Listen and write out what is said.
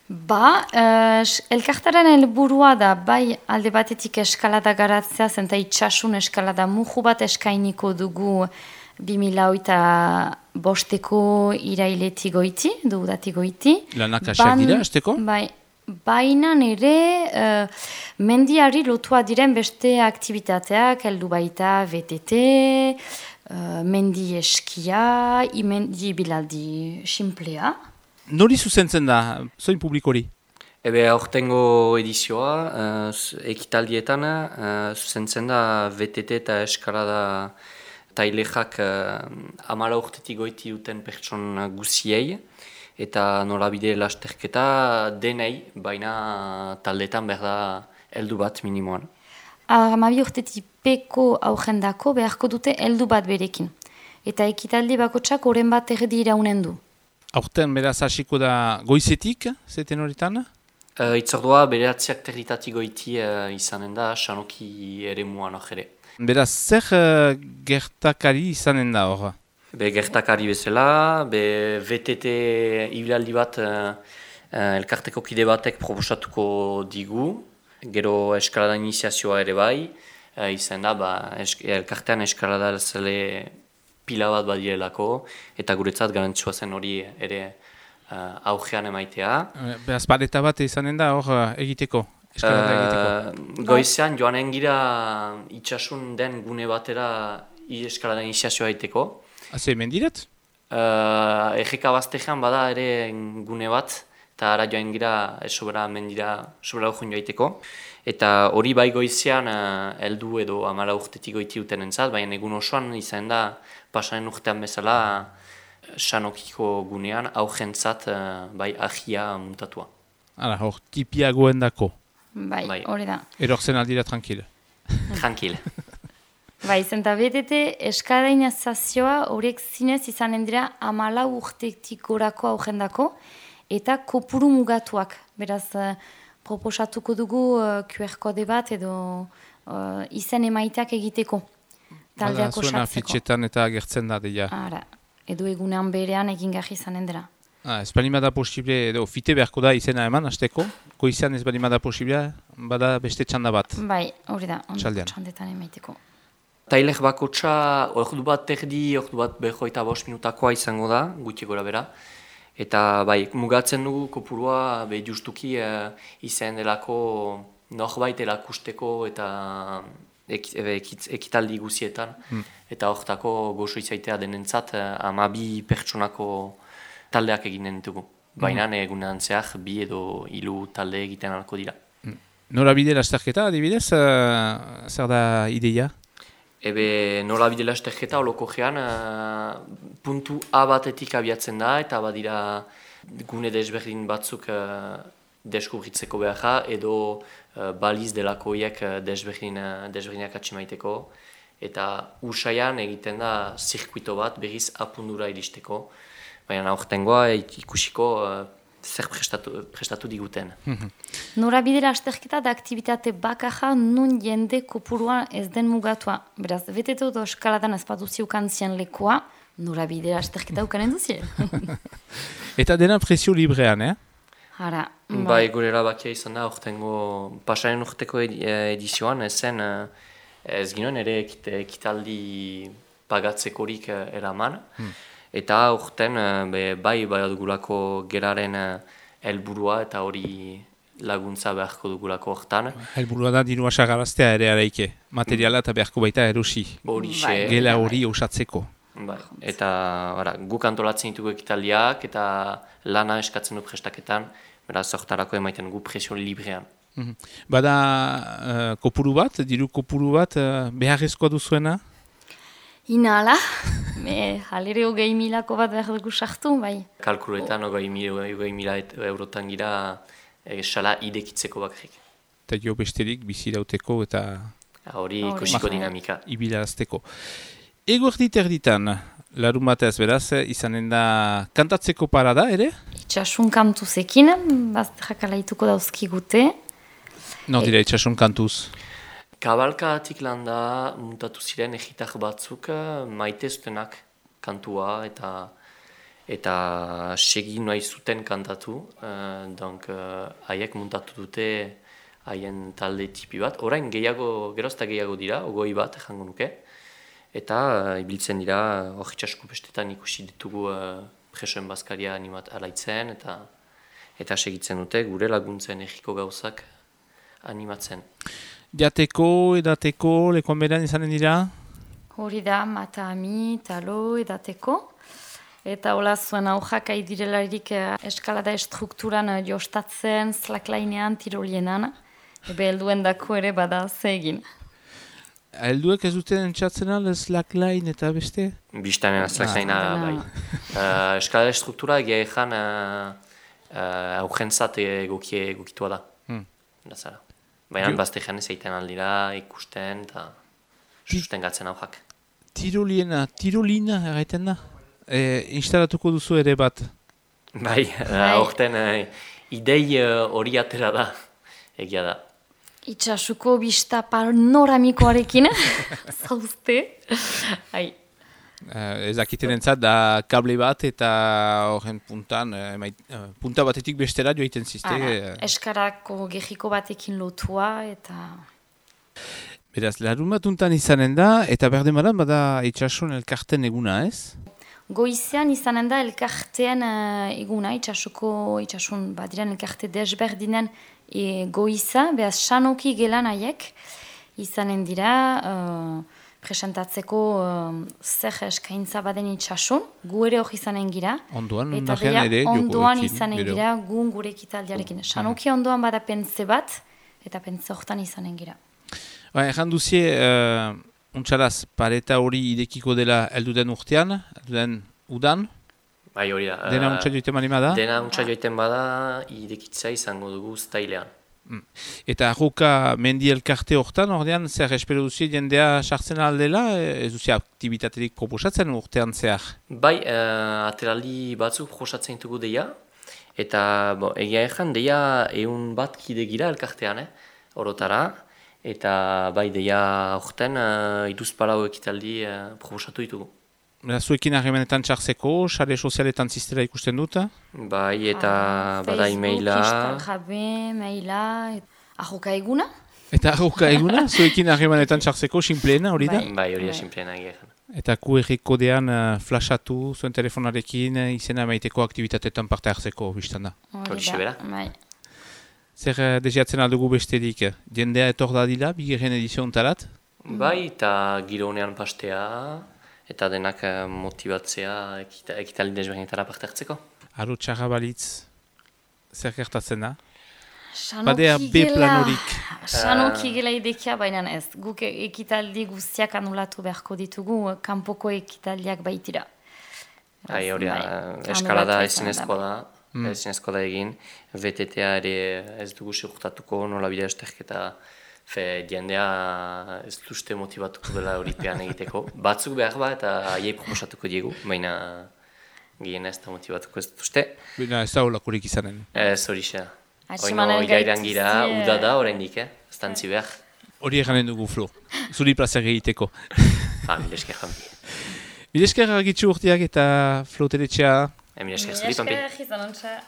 Elkartaren helburua da, bai alde batetik eskalada garatzea, zenta itxasun eskalada muju bat eskainiko dugu 2005 irailetik goiti, dudatik goiti. Lanak asiak dira, esteko? Bai, baina ere mendiari lotua diren beste aktivitateak, heldu baita VTT, mendi eskia, mendi bilaldi simplea. Nori zuzentzen da, zoin publikori? Aurtengo edizioa, ekitaldietan, zuzentzen da VTT eta eskalada tailexak 14 urtetik goiti duten pertson guziei, eta norabide lasterketa denei, baina taldetan behar da heldu bat minimoan. 12 urtetik peko aurrendako beharko dute heldu bat berekin. Eta ekitaldi bakotsak oren bat erdi iraunen du. Aurten beraz hasiko da goizetik, zeten horretan? Itzordua beratziak territatik goiti izanen da, Sanoki ere muan ojere. Beraz, zer gertakari izanen da hor? Gertakari bezala, VTT ibilaldi bat elkarteko kide batek proposatuko digu, gero eskalada iniziazioa ere bai, izan da, elkartean eskalada zele pila bat badirelako, eta guretzat garantzua zen hori ere augean emaitea. Beraz, paleta bat izanen da hor egiteko, eskalada egiteko? Goizean joanen gira itxasun den gune batera eskalada iniziazioa egiteko. Haze, mendirat? Egeka baztean bada ere gune bat, eta ara joan gira sobera mendira, sobera urjun joaiteko. Eta hori bai goizean heldu edo 14 urtetik goiti duten entzat, baina egun osoan izan da pasanen urtean bezala Sanokiko gunean augentzat bai ahia muntatua. Hala, hor tipiagoen dako. Bai, hori da. Erortzen aldira tranquil. Tranquil. Bai, zenta betete eskadainazazioa horiek zinez izanen dira 14 urtetik gorako augendako eta kopuru mugatuak. Beraz, proposatuko dugu QR kode bat edo izen emaiteak egiteko. Taldeak osatzeko. Zuena fitxetan eta agertzen da deia. Ara, edo egunean berean egin gaji izanen dira. Ez balimada posible, edo fite beharko da izena eman, hasteko? Goizan ez balimada posible, bada beste txanda bat. Bai, hori da, txandetan emaiteko. Tailek bakotxa, ordu bat erdi, ordu bat 25 minutakoa izango da, gutxi gora bera. Eta bai, mugatzen dugu kopurua justuki izan delako norbait erakusteko eta ekitaldi guzietan. Eta hortako gozo izaitea denentzat 12 pertsonako taldeak eginen dugu. Baina egunean zehar 2 edo 3 talde egiten alko dira. Norabide lasterketa, adibidez, zer da ideia? Norabide lasterketa oloko gean puntu A batetik abiatzen da eta badira gune desberdin batzuk deskubritzeko behar edo baliz delakoiek desberdinak atximaiteko eta usaian egiten da zirkuito bat berriz apundura iristeko, baina aurtengoa ikusiko zer prestatu diguten. Norabide lasterketa da aktivitate bakarra nun jende kopurua ez den mugatua. Beraz, betetu edo eskaladan ez paduziukan zien lekoa, norabide lasterketa ukanen duzien. Eta dena presio librean, Hara. Bai, gure erabakia izan da, urtengo pasaren urteko edizioan, ez ginoen ere ekitaldi pagatzekorik eraman. Eta urten bai dugulako geraren helburua eta hori laguntza beharko dugulako hortan. Helburua da dirua sagaraztea ere araike, materiala eta beharko baita erosi. Gela hori osatzeko. Eta guk antolatzen ditugu ekitaldiak eta lana eskatzen du prestaketan, beraz hortarako emaiten gu presio librean. Bada kopuru bat, diru kopuru bat beharrezkoa duzuena? Inala, halere 20.000ko bat behar dugu sartu, bai. Kalkuletan 20.000 eurotan gira sala idekitzeko bakarrik. Eta jo besterik bizi dauteko eta... Hori ikusiko dinamika. Ibilarazteko. Ego erditan, larun batez beraz, izanen da kantatzeko parada, ere? Itxasun kantuzekin, jakalaituko dauzkigute. Nor dira itxasun kantuz? Kabalkatik landa muntatu ziren egitar batzuk maite zutenak kantua eta segi nahi zuten kantatu, haiek muntatu dute haien talde tipi bat. Orain gerozta gehiago dira, 20 bat jango nuke, eta ibiltzen dira hor itxasko bestetan ikusi ditugu presoen bazkaria alaitzen, eta segitzen dute gure laguntzen egiko gauzak animatzen. Jateko, edateko, lekuan beran izanen dira? Hori da, matami, talo, edateko. Eta hola zuen aujak aidirelarik eskalada estrukturan jostatzen, slacklainean, tirolienan. Helduen dako ere bada ze egin. Helduek ez duten entzatzen al, slackline eta beste? Biztanen slacklinea, bai. Eskalada estruktura egia ezan augentzat egokitua da. Baina bazte jane zeiten aldira, ikusten eta sustengatzen aujak. Tirolina erraiten da? Instalatuko duzu ere bat? Bai, aurten idei hori atera da, egia da. Itxasuko bista panoramikoarekin, zauzte. Ezakiten entzat da kable bat eta horren puntan, punta batetik bestera joiten zizte. Eskarako gehiko batekin lotua eta... Beraz, larun batuntan izanen da, eta berdemaran bada itxasun elkarten eguna, ez? Goizean izanen da elkartean eguna, itxasun badiren elkarte desberdinen goiza, behaz sanoki gelan haiek izanen dira presentatzeko zer eskaintza baden itxasun, gu ere hori izanen gira. Ondoan, ondoan izanen gira gun gure ekitaldiarekin. Sanoki ondoan bada pentze bat, eta pentze hortan izanen gira. Ejan duzie, untxaraz, pareta hori idekiko dela elduden urtean, elduden udan? Bai, hori da. Dena untxa joiten bada? Dena untxa joiten bada, idekitza izango dugu stailean. Eta arruka mendi elkarte hortan, ordean, zer espero duzie jendea sartzen aldela, ez duzie aktibitaterik proposatzen urtean zehar? Bai, ateraldi batzuk proposatzen ditugu deia, eta egia ezan deia 100 bat kide gira elkartean, orotara, eta bai deia horten iduzpalau ekitaldi proposatu ditugu. Zuekin harremanetan txartzeko, sare sozialetan ziztera ikusten dut? Bai, eta bada e-maila. Facebook, Instagram, maila, arroka eguna. Eta arroka eguna? Zuekin harremanetan txartzeko, sinpleena hori da? Bai, hori da sinpleena egeran. Eta QR kodean flashatu zuen telefonarekin izena maiteko aktivitatetan parte hartzeko biztan da? Hori sebera. Zer deziatzen aldugu besterik? Jendea etor dadila, bigarren ediziontarat? Bai, eta giro honean pastea. Eta denak motibatzea ekitaldi desberdinetara parte hartzeko. Aro txarra balitz, zer gertatzen da? Badea B-planorik. Sanoki gela idekia, baina ez. Guk ekitaldi guztiak anulatu beharko ditugu, kanpoko ekitaldiak baitira. Hori da, eskalada ezinezkoa da. Ezinezkoa da egin. VTTA ere ez dugu segurtatuko, nola bidea esterketa. Jendea ez duzte motibatuko dela horipean egiteko. Batzuk behar bat eta haiei proposatuko diegu, baina gehien ez da motibatuko ez duzte. Baina ez da holakorik izanen. Ez hori xe. Oino irairan gira, uda da oraindik, ez dantzi behar. Hori eganen dugu, Flo. Zuri plazer egiteko. Milesker jambi. Milesker argitzu urteak eta Flo Teretxea. Milesker zuri, Pampi. Milesker,